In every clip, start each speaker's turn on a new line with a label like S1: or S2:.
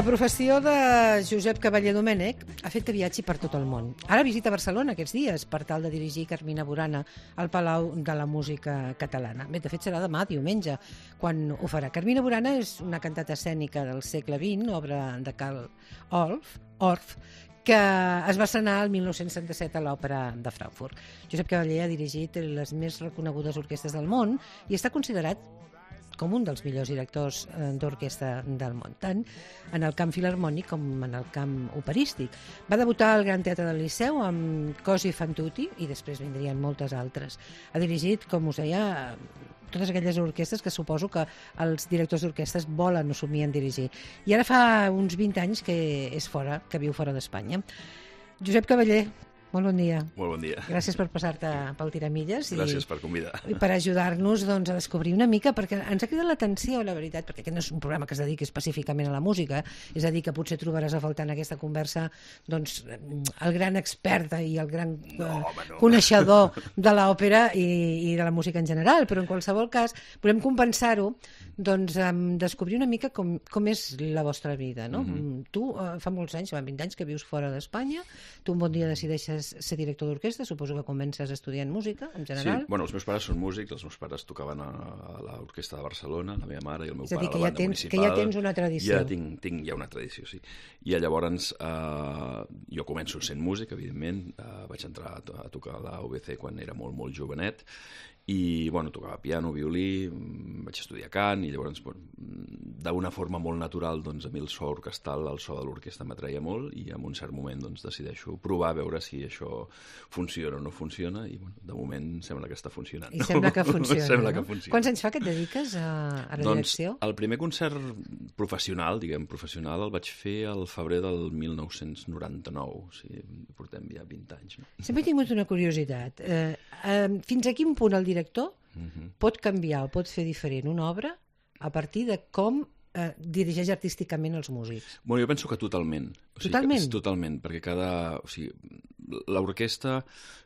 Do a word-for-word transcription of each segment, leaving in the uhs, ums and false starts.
S1: La professió de Josep Cavallé Domènech ha fet que viatgi per tot el món. Ara visita Barcelona aquests dies per tal de dirigir Carmina Burana al Palau de la Música Catalana. Bé, de fet serà demà, diumenge, quan ho farà. Carmina Burana és una cantata escènica del segle vint, obra de Carl Orff, Orff que es va estrenar el mil nou-cents setanta-set a l'Òpera de Frankfurt. Josep Cavallé ha dirigit les més reconegudes orquestres del món i està considerat com un dels millors directors d'orquestra del món, tant en el camp filharmònic com en el camp operístic. Va debutar al Gran Teatre del Liceu amb Cosi fan tutti i després vindrien moltes altres. Ha dirigit, com us deia, totes aquelles orquestres que suposo que els directors d'orquestres volen o somien dirigir. I ara fa uns vint anys que és fora, que viu fora d'Espanya. Josep Cavallé, molt bon dia.
S2: Molt bon dia.
S1: Gràcies per passar-te pel Tiramilles.
S2: Gràcies i, per convidar.
S1: I per ajudar-nos doncs, a descobrir una mica, perquè ens ha cridat l'atenció, la veritat, perquè aquest no és un programa que es dediqui específicament a la música, és a dir, que potser trobaràs a faltar en aquesta conversa doncs, el gran expert i el gran no, home, no. coneixedor de l'òpera i, i de la música en general, però en qualsevol cas volem compensar-ho doncs, amb descobrir una mica com, com és la vostra vida. No? Mm-hmm. Tu, uh, fa molts anys, fa vint anys que vius fora d'Espanya, tu un bon dia decideixes ser director d'orquestra, suposo que comences estudiant música, en general.
S2: Sí, bueno, els meus pares són músics, els meus pares tocaven a, a l'Orquestra de Barcelona, la meva mare i el meu
S1: és a dir,
S2: pare a la
S1: ja
S2: banda
S1: tens,
S2: municipal.
S1: Que ja tens una tradició.
S2: Ja tinc, tinc ja una tradició, sí. I llavors eh, jo començo sent músic, evidentment, eh, vaig entrar a, a tocar a la U B C quan era molt, molt jovenet, i bueno, tocava piano, violí, vaig estudiar cant i llavors bueno, d'una forma molt natural doncs, a mi el so orquestral, el so de l'orquestra m'atreia molt i en un cert moment doncs, decideixo provar a veure si això funciona o no funciona i bueno, de moment sembla que està funcionant.
S1: I sembla que funciona,
S2: sembla
S1: no?
S2: que funciona.
S1: Quants anys fa que et dediques a, a la
S2: doncs,
S1: direcció?
S2: El primer concert professional, diguem professional, el vaig fer al febrer del mil nou-cents noranta-nou, o sigui, portem ja vint anys. No?
S1: Sempre he tingut una curiositat. Eh, eh, fins a quin punt el director uh-huh. pot canviar o pot fer diferent una obra a partir de com eh, dirigeix artísticament els músics?
S2: Bueno, jo penso que totalment. O sigui,
S1: totalment?
S2: Que, totalment, perquè cada... O sigui, l'orquestra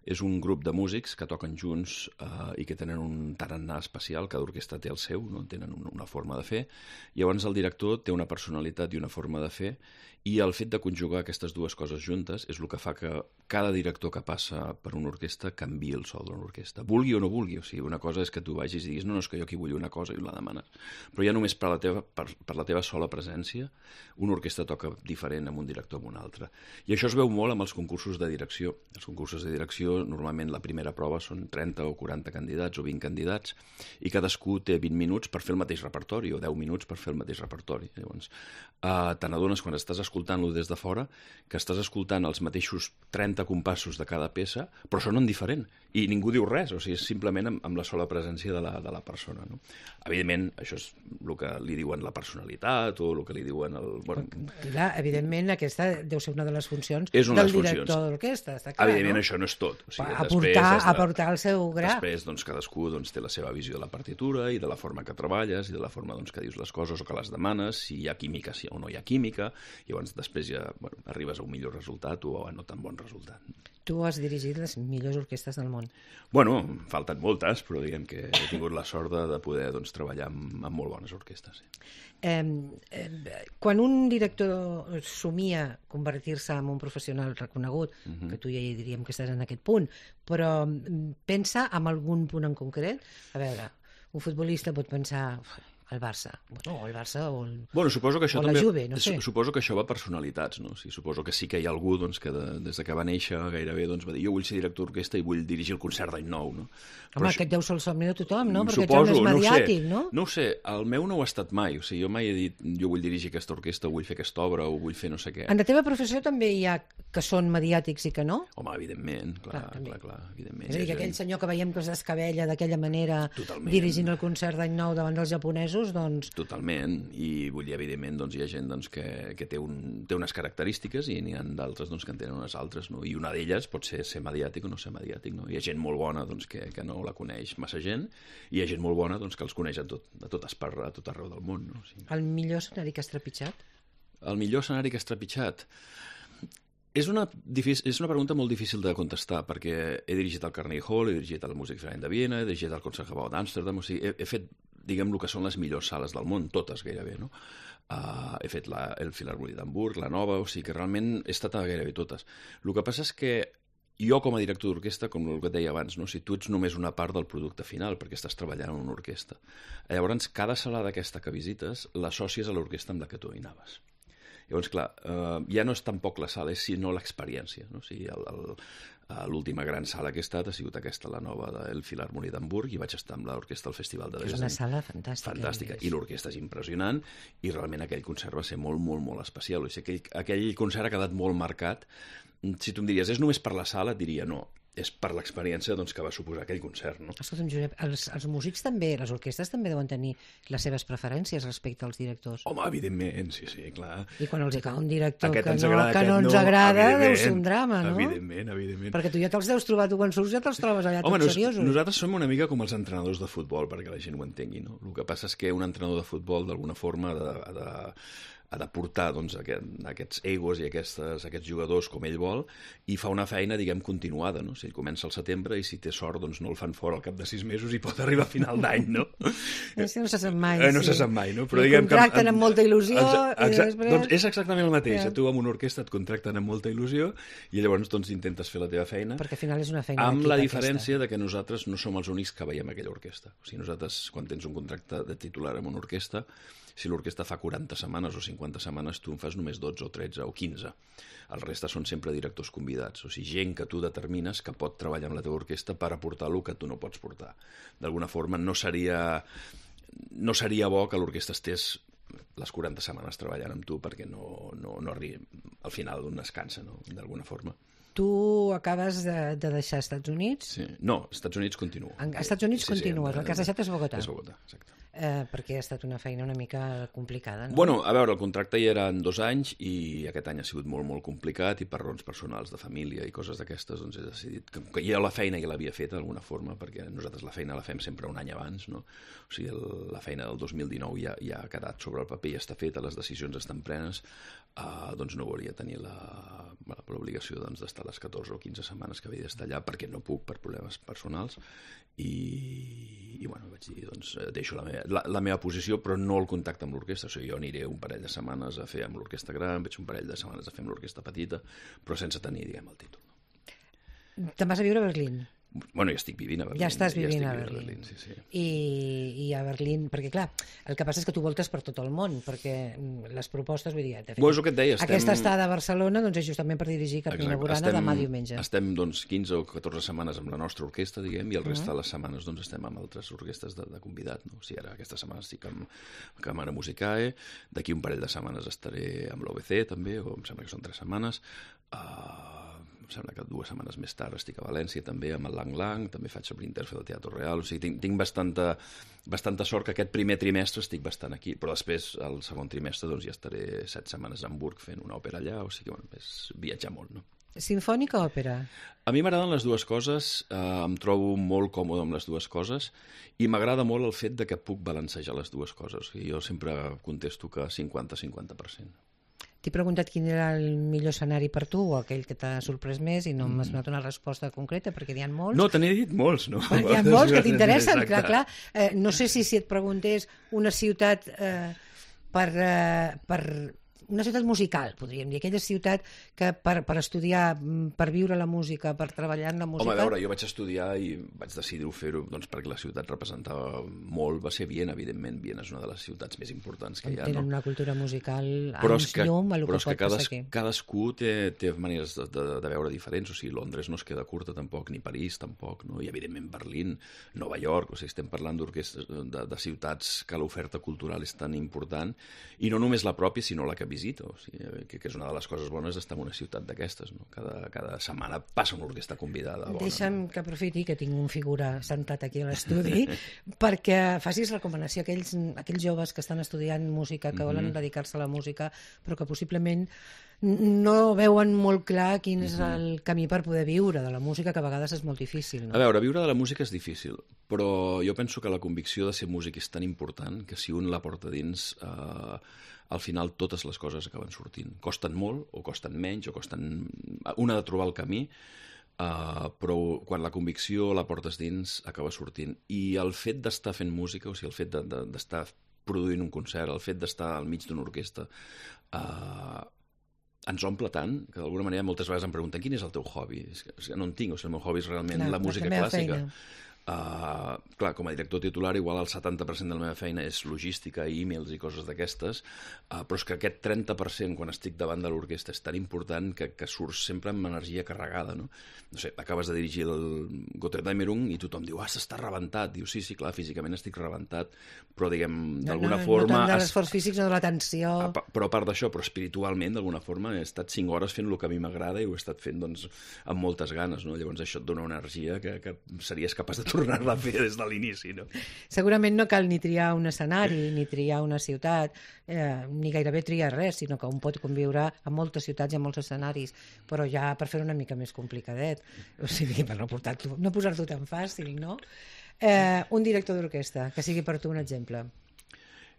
S2: és un grup de músics que toquen junts eh, i que tenen un tarannà especial, cada orquestra té el seu, no? Tenen una forma de fer, i llavors el director té una personalitat i una forma de fer, i el fet de conjugar aquestes dues coses juntes és el que fa que cada director que passa per una orquestra canviï el so d'una orquestra, vulgui o no vulgui. O sigui, una cosa és que tu vagis i diguis no, no, és que jo aquí vull una cosa i la demanes, però ja només per la teva, per, per la teva sola presència una orquestra toca diferent amb un director o amb un altre. I això es veu molt amb els concursos de direcció. Els concursos de direcció, normalment la primera prova són trenta o quaranta candidats o vint candidats i cadascú té vint minuts per fer el mateix repertori o deu minuts per fer el mateix repertori. Llavors, eh, te n'adones quan estàs escoltant-lo des de fora que estàs escoltant els mateixos trenta compassos de cada peça, però sonen diferent i ningú diu res, o sigui, és simplement amb, amb la sola presència de la, de la persona. No? Evidentment, això és el que li diuen la personalitat o el que li diuen el... Bueno,
S1: clar, evidentment, aquesta deu ser una de les funcions
S2: és una
S1: del
S2: de les
S1: director
S2: funcions.
S1: d'orquestra, està clar,
S2: evidentment,
S1: no?
S2: Això no és tot. O sigui,
S1: aportar,
S2: de...
S1: aportar el seu gra.
S2: Després, doncs, cadascú doncs, té la seva visió de la partitura i de la forma que treballes i de la forma doncs, que dius les coses o que les demanes, si hi ha química si o no hi ha química, i llavors després ja bueno, arribes a un millor resultat o a no tan bon resultat.
S1: Tu has dirigit les millors orquestres del món.
S2: Bueno, falten moltes, però diguem que he tingut la sort de, de poder doncs, treballar amb, amb molt bones orquestres. Sí.
S1: Eh, eh, quan un director somia convertir-se en un professional reconegut, uh-huh. que tu ja hi diríem que estàs en aquest punt, però pensa en algun punt en concret? A veure, un futbolista pot pensar... el Barça, bueno, o el Barça o, el,
S2: bueno, suposo que això
S1: o la
S2: també,
S1: Juve, no sé.
S2: Suposo que això va personalitats, no? O sigui, suposo que sí que hi ha algú doncs, que de, des de que va néixer gairebé doncs, va dir jo vull ser director d'orquestra i vull dirigir el concert d'any nou, no?
S1: Home, aquest deu ser el somni de tothom, no? Perquè
S2: suposo,
S1: ets home mediàtic,
S2: no?
S1: no?
S2: No ho sé, el meu no ho ha estat mai, o sigui, jo mai he dit jo vull dirigir aquesta orquestra, vull fer aquesta obra o vull fer no sé què.
S1: En la teva professió també hi ha que són mediàtics i que no?
S2: Home, evidentment, clar, clar, clar, clar evidentment.
S1: És a dir, que aquell senyor que veiem que es descabella d'aquella manera
S2: totalment.
S1: Dirigint el concert d'any nou davant dels japonesos, doncs...
S2: Totalment, i vull dir, evidentment, doncs, hi ha gent doncs, que, que té, un, té unes característiques i n'hi ha d'altres doncs, que en tenen unes altres, no? I una d'elles pot ser ser mediàtic o no ser mediàtic, no? Hi ha gent molt bona doncs, que, que no la coneix massa gent i hi ha gent molt bona doncs, que els coneix a tot, a tot, espar, a tot arreu del món. No? O sigui...
S1: El millor escenari que has trepitjat?
S2: El millor escenari que has trepitjat? És una, és una pregunta molt difícil de contestar, perquè he dirigit el Carnegie Hall, he dirigit el Musikverein de Viena, he dirigit el Concertgebouw d'Amsterdam, o sigui, he, he fet diguem, el que són les millors sales del món, totes gairebé, no? Uh, he fet la, el Filharmònic d'Hamburg, la nova, o sigui que realment he estat a gairebé totes. El que passa és que jo, com a director d'orquestra, com el que et deia abans, no? Si tu ets només una part del producte final, perquè estàs treballant en una orquestra. Llavors, cada sala d'aquesta que visites l'assòcies a l'orquestra amb la que tu hi anaves. Llavors, clar, eh, ja no és tampoc la sala, és sinó l'experiència. No? O sigui, el, el, l'última gran sala que he estat ha sigut aquesta, la nova del Filharmònic d'Hamburg, i vaig estar amb l'orquestra al Festival de Dresden.
S1: És una sala fantàstica.
S2: Fantàstica, i l'orquestra és impressionant, i realment aquell concert va ser molt, molt, molt especial. O sigui, aquell, aquell concert ha quedat molt marcat. Si tu em diries, és només per la sala, et diria no. És per l'experiència doncs, que va suposar aquell concert, no?
S1: Escolta'm, Josep, els, els músics també, les orquestres també deuen tenir les seves preferències respecte als directors.
S2: Home, evidentment, sí, sí, clar.
S1: I quan els hi cau un director
S2: aquest
S1: que,
S2: ens
S1: no,
S2: agrada,
S1: que no ens
S2: no,
S1: agrada, deu ser un drama, no?
S2: Evidentment, evidentment.
S1: Perquè tu ja te'ls deus trobar, tu quan surts ja te'ls trobes allà
S2: Home,
S1: tots
S2: nos,
S1: seriosos.
S2: Nosaltres som una mica com els entrenadors de futbol, perquè la gent ho entengui, no? El que passa és que un entrenador de futbol, d'alguna forma, ha de, ha de, ha de portar doncs, aquest, aquests egos i aquestes, aquests jugadors com ell vol, i fa una feina, diguem, continuada, no? Si ell comença al setembre i si té sort doncs no el fan fora al cap de sis mesos i pot arribar a final d'any, no?
S1: Sí, no se sap mai,
S2: eh, no
S1: sí.
S2: se sap mai, no? Però
S1: I
S2: diguem
S1: contracten
S2: que,
S1: amb molta il·lusió
S2: exa,
S1: i després...
S2: Doncs és exactament el mateix.
S1: Ja.
S2: Tu amb una orquestra et contracten amb molta il·lusió i llavors doncs, intentes fer la teva feina.
S1: Perquè al final és una feina
S2: amb
S1: d'equip,
S2: la diferència
S1: aquesta.
S2: de que nosaltres no som els únics que veiem aquella orquestra. O sigui, nosaltres, quan tens un contracte de titular amb una orquestra, si l'orquestra fa quaranta setmanes o cinquanta setmanes, tu en fas només dotze o tretze o quinze. El resta són sempre directors convidats, o sigui, gent que tu determines que pot treballar amb la teva orquestra per aportar el que tu no pots portar. D'alguna forma, no seria, no seria bo que l'orquestra estés les quaranta setmanes treballant amb tu perquè no, no, no arribi al final d'un descansa, no? D'alguna forma.
S1: Tu acabes de, de deixar Estats Units?
S2: Sí. No, als Estats Units continua.
S1: En Estats Units
S2: sí,
S1: continues,
S2: sí,
S1: el que has deixat és Bogotà.
S2: És Bogotà, exacte.
S1: Eh, perquè ha estat una feina una mica complicada, no?
S2: Bueno, a veure, el contracte hi era en dos anys i aquest any ha sigut molt, molt complicat i per raons personals de família i coses d'aquestes doncs he decidit que, que ja la feina ja l'havia fet d'alguna forma, perquè nosaltres la feina la fem sempre un any abans, no? O sigui, el, la feina del dos mil dinou ja, ja ha quedat sobre el paper, ja està feta, les decisions estan prenes, uh, doncs no volia tenir la, l'obligació doncs, d'estar les catorze o quinze setmanes que havia d'estar allà perquè no puc per problemes personals i, i bueno, vaig dir, doncs deixo la meva, la, la meva posició, però no el contacte amb l'orquestra. O sigui, jo aniré un parell de setmanes a fer amb l'orquestra gran, veig un parell de setmanes a fer amb l'orquestra petita, però sense tenir, diguem, el títol.
S1: Te'n vas a viure a Berlín?
S2: Bueno, ja estic vivint a Berlín.
S1: Ja estàs vivint
S2: ja
S1: a
S2: vivint
S1: Berlín.
S2: a Berlín sí, sí.
S1: I, I a Berlín, perquè clar, el que passa és que tu voltes per tot el món, perquè les propostes, vull dir, de fet,
S2: Bo, és el que et deia, estem...
S1: aquesta estada a Barcelona doncs, és justament per dirigir Carmina Burana
S2: estem,
S1: demà diumenge.
S2: Estem doncs, quinze o catorze setmanes amb la nostra orquestra, diguem, i el resta uh-huh. de les setmanes doncs, estem amb altres orquestres de, de convidat. No? O sigui, ara aquesta setmana estic amb Camara Musicae, d'aquí un parell de setmanes estaré amb l'O B C també, o em sembla que són tres setmanes, uh, em sembla que dues setmanes més tard estic a València també amb el Lang Lang, també faig amb l'Interfe del Teatre Real, o sigui, tinc, tinc bastanta, bastanta sort que aquest primer trimestre estic bastant aquí, però després, el segon trimestre, doncs ja estaré set setmanes a Hamburg fent una òpera allà, o sigui, bueno, és viatjar molt, no?
S1: Sinfònica o òpera?
S2: A mi m'agraden les dues coses, eh, em trobo molt còmode amb les dues coses i m'agrada molt el fet de que puc balancejar les dues coses. O sigui, jo sempre contesto que cinquanta cinquanta per cent.
S1: T'he preguntat quin era el millor escenari per tu o aquell que t'ha sorprès més i no m'has donat una resposta concreta perquè n'hi ha molts.
S2: No, te n'he dit molts, no?
S1: Perquè hi ha molts que t'interessen, clar, clar. Eh, no sé si, si et preguntés una ciutat eh, per, eh, per una ciutat musical, podríem dir, aquella ciutat que per, per estudiar, per viure la música, per treballar en la música...
S2: Home, a veure, jo vaig estudiar i vaig decidir-ho fer-ho doncs, perquè la ciutat representava molt, va ser Viena, evidentment, Viena és una de les ciutats més importants que hi ha.
S1: Tenen
S2: no?
S1: una cultura musical
S2: però
S1: anys
S2: que,
S1: llum a lo
S2: però
S1: que pot
S2: que cades,
S1: passar aquí.
S2: Cadascú té, té maneres de, de, de veure diferents, o sigui, Londres no es queda curta tampoc, ni París tampoc, no? I evidentment Berlín, Nova York, o sigui, estem parlant d'orquestres de, de ciutats que l'oferta cultural és tan important, i no només la pròpia, sinó la que visita, o sigui, que, que és una de les coses bones d'estar en una ciutat d'aquestes, no? Cada, cada setmana passa una orquestra convidada bona.
S1: Deixa'm
S2: no?
S1: que aprofiti que tinc un figura sentat aquí a l'estudi perquè facis recomanació a aquells, aquells joves que estan estudiant música, que volen mm-hmm. dedicar-se a la música, però que possiblement no veuen molt clar quin és el camí per poder viure de la música, que a vegades és molt difícil. No?
S2: A veure, viure de la música és difícil, però jo penso que la convicció de ser músic és tan important que si un la porta dins, eh, al final totes les coses acaben sortint. Costen molt, o costen menys, o costen... Un ha de trobar el camí, Uh, però quan la convicció la portes dins acaba sortint, i el fet d'estar fent música, o sigui, el fet de, de, d'estar produint un concert, el fet d'estar al mig d'una orquestra uh, ens omple tant que d'alguna manera moltes vegades em pregunten quin és el teu hobby? És que, o sigui, no en tinc, o sigui, el meu hobby és realment clar, la música la clàssica. Uh, clar, com a director titular igual el setanta per cent de la meva feina és logística, e-mails i coses d'aquestes, uh, però és que aquest trenta per cent quan estic davant de l'orquestra és tan important que, que surts sempre amb energia carregada, no? No sé, acabes de dirigir el Götterdämmerung i tothom diu, ah, s'està rebentat. Diu, sí, sí, clar, físicament estic rebentat, però diguem, d'alguna
S1: no, no,
S2: forma...
S1: No tant de l'esforç físic, no de la tensió...
S2: A, però a part d'això, però espiritualment, d'alguna forma, he estat cinc hores fent el que a mi m'agrada i ho he estat fent, doncs, amb moltes ganes, no? Llavors això et dona una energia que, que series capaç de tornar-la a fer des de l'inici, no?
S1: Segurament no cal ni triar un escenari, ni triar una ciutat, eh, ni gairebé triar res, sinó que un pot conviure a moltes ciutats i a molts escenaris, però ja per fer una mica més complicadet, o sigui, per no, no posar-t'ho tan fàcil, no? Eh, un director d'orquestra, que sigui per tu un exemple.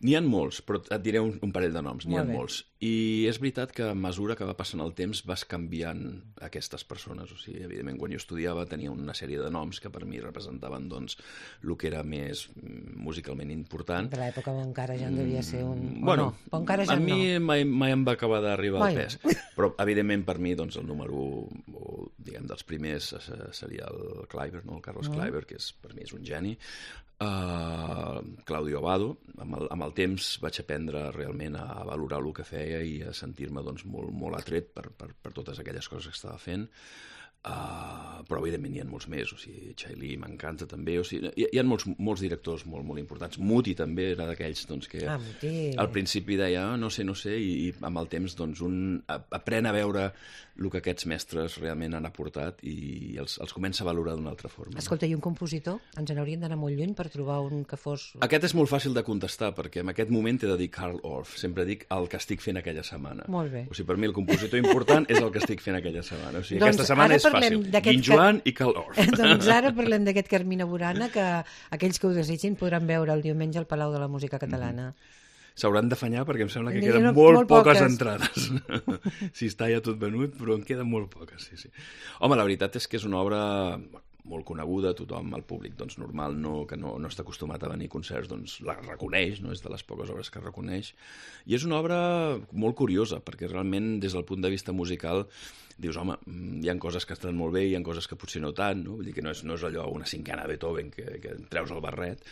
S2: N'hi ha molts, però et diré un, un parell de noms, n'hi ha
S1: Molt bé.
S2: molts. I és veritat que a mesura que va passant el temps vas canviant aquestes persones. O sigui, evidentment, quan jo estudiava tenia una sèrie de noms que per mi representaven doncs, el que era més musicalment important.
S1: De l'època on encara ja en devia ser un...
S2: Bueno,
S1: no, on encara ja
S2: a mi
S1: no.
S2: mai, mai em va acabar d'arribar
S1: Vai.
S2: al pes. Però, evidentment, per mi doncs, el número o, diguem, dels primers seria el Kleiber, no? El Carlos
S1: Mm.
S2: Kleiber, que és, per mi és un geni. Uh, Claudio Abbado. Amb el, amb el temps vaig aprendre realment a valorar el que feia i a sentir-me doncs, molt, molt atret per, per, per totes aquelles coses que estava fent. Uh, però evidentment hi ha molts més, o sigui, Chailly m'encanta també, o sigui, hi, hi ha molts, molts directors molt, molt importants. Muti també era d'aquells doncs, que
S1: Ah, Muti.
S2: al principi deia ah, no sé, no sé, i, i amb el temps doncs, un aprèn a veure el que aquests mestres realment han aportat i els, els comença a valorar d'una altra forma.
S1: Escolta, i un compositor? Ens n'hauríem d'anar molt lluny per trobar un que fos...
S2: Aquest és molt fàcil de contestar, perquè en aquest moment he de dir Carl Orff. Sempre dic el que estic fent aquella setmana.
S1: Molt bé.
S2: O sigui, per mi el compositor important és el que estic fent aquella setmana. O sigui,
S1: Doncs
S2: aquesta setmana
S1: ara
S2: és
S1: parlem
S2: fàcil.
S1: d'aquest
S2: Guin Joan i Carl Orff.
S1: Doncs ara parlem d'aquest Carmina Burana, que aquells que ho desitgin podran veure el diumenge al Palau de la Música Catalana.
S2: S'hauran d'afanyar perquè em sembla que
S1: N'hi ha
S2: queden
S1: no-
S2: molt,
S1: molt
S2: poques
S1: poques.
S2: entrades. Si està ja tot venut, però en queden molt poques, sí, sí. Home, la veritat és que és una obra molt coneguda, tothom, el públic doncs, normal, no, que no, no està acostumat a venir a concerts, doncs la reconeix, no? És de les poques obres que reconeix. I és una obra molt curiosa, perquè realment, des del punt de vista musical, dius, home, hi ha coses que estan molt bé, hi ha coses que potser no tant, no? Vull dir que no és, no és allò una cinquena de Beethoven que, que treus el barret,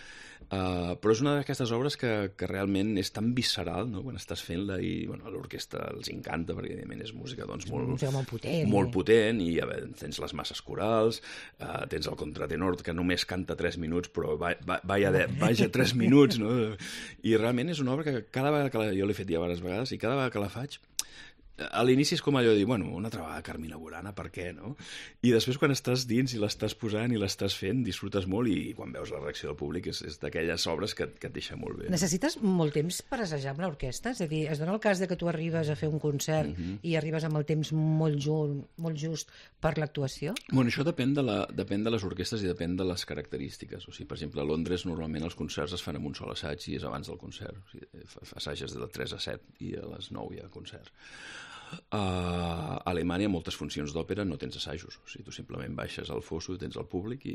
S2: uh, però és una d'aquestes obres que, que realment és tan visceral, no? Quan estàs fent-la i bueno, a l'orquestra els encanta, perquè evidentment és música doncs, molt,
S1: música molt potent,
S2: molt
S1: eh?
S2: potent i a veure, tens les masses corals, uh, tens el contratenor que només canta tres minuts, però va, va, vaja, de, vaja tres minuts, no? I realment és una obra que cada vegada que la, jo l'he fet ja diverses vegades i cada vegada que la faig a l'inici és com allò de dir, bueno, una altra vegada Carmina Burana, per què, no? I després quan estàs dins i l'estàs posant i l'estàs fent, disfrutes molt i quan veus la reacció del públic és, és d'aquelles obres que, que et deixa molt bé.
S1: Necessites molt temps per assajar amb l'orquestra? És a dir, es dona el cas de que tu arribes a fer un concert
S2: Mhm.
S1: i arribes amb el temps molt, ju molt just per l'actuació?
S2: Bueno, això depèn de, la, depèn de les orquestres i depèn de les característiques. O sigui, per exemple, a Londres normalment els concerts es fan amb un sol assaig i és abans del concert. O sigui, assages de tres a set i a les nou hi ha concert. A Alemanya moltes funcions d'òpera no tens assajos, o sigui, tu simplement baixes al fosso, tens el públic i,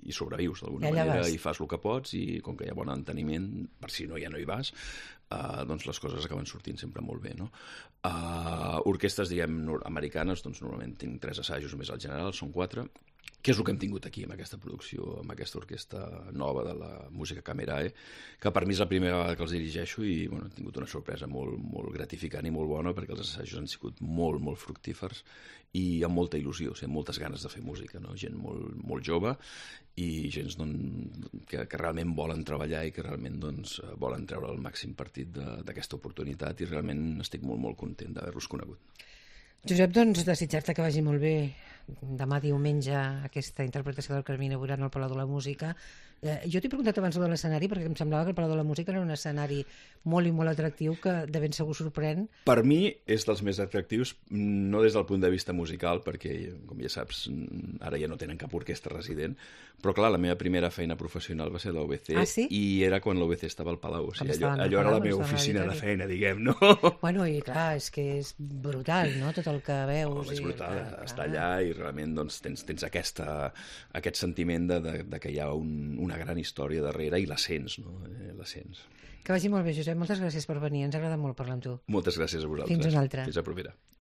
S2: i sobrevius d'alguna
S1: I allà
S2: manera
S1: vas.
S2: i fas el que pots i com que hi ha bon enteniment, per si no ja no hi vas, uh, doncs les coses acaben sortint sempre molt bé, no? Uh, orquestres, diguem, nor- americanes, doncs normalment tinc tres assajos més al general, són quatre, que és el que hem tingut aquí amb aquesta producció, amb aquesta orquestra nova de la música Camerae, que per mi és la primera vegada que els dirigeixo i bueno, he tingut una sorpresa molt, molt gratificant i molt bona perquè els assajos han sigut molt, molt fructífers i amb molta il·lusió, o sigui, amb moltes ganes de fer música, no? Gent molt, molt jove i gent doncs, que, que realment volen treballar i que realment doncs, volen treure el màxim partit de- d'aquesta oportunitat i realment estic molt, molt content d'haver-los conegut.
S1: Josep, doncs, desitjar-te que vagi molt bé demà diumenge aquesta interpretació del Carmina Burana al Palau de la Música. Eh, jo t'he preguntat abans de l'escenari perquè em semblava que el Palau de la Música era un escenari molt i molt atractiu que de ben segur sorprèn.
S2: Per mi és dels més atractius, no des del punt de vista musical, perquè, com ja saps, ara ja no tenen cap orquestra resident, però clar, la meva primera feina professional va ser a l'O B C
S1: Ah, sí?
S2: i era quan l'O B C estava al Palau, o sigui, allò,
S1: estaven al
S2: allò era
S1: Palau,
S2: la meva
S1: estaven a
S2: oficina de
S1: l'auditori.
S2: feina, diguem, no?
S1: Bueno, i clar, és que és brutal, no?, tot el que veus.
S2: Oh, és
S1: i,
S2: brutal,
S1: clar,
S2: estar
S1: clar.
S2: allà i realment doncs, tens, tens aquesta, aquest sentiment de, de, de que hi ha un, una gran història darrere i la sents, no? Eh, la sents.
S1: Que vagi molt bé, Josep. Moltes gràcies per venir. Ens agrada molt parlar amb tu.
S2: Moltes gràcies a vosaltres.
S1: Fins una altra.
S2: Fins a propera.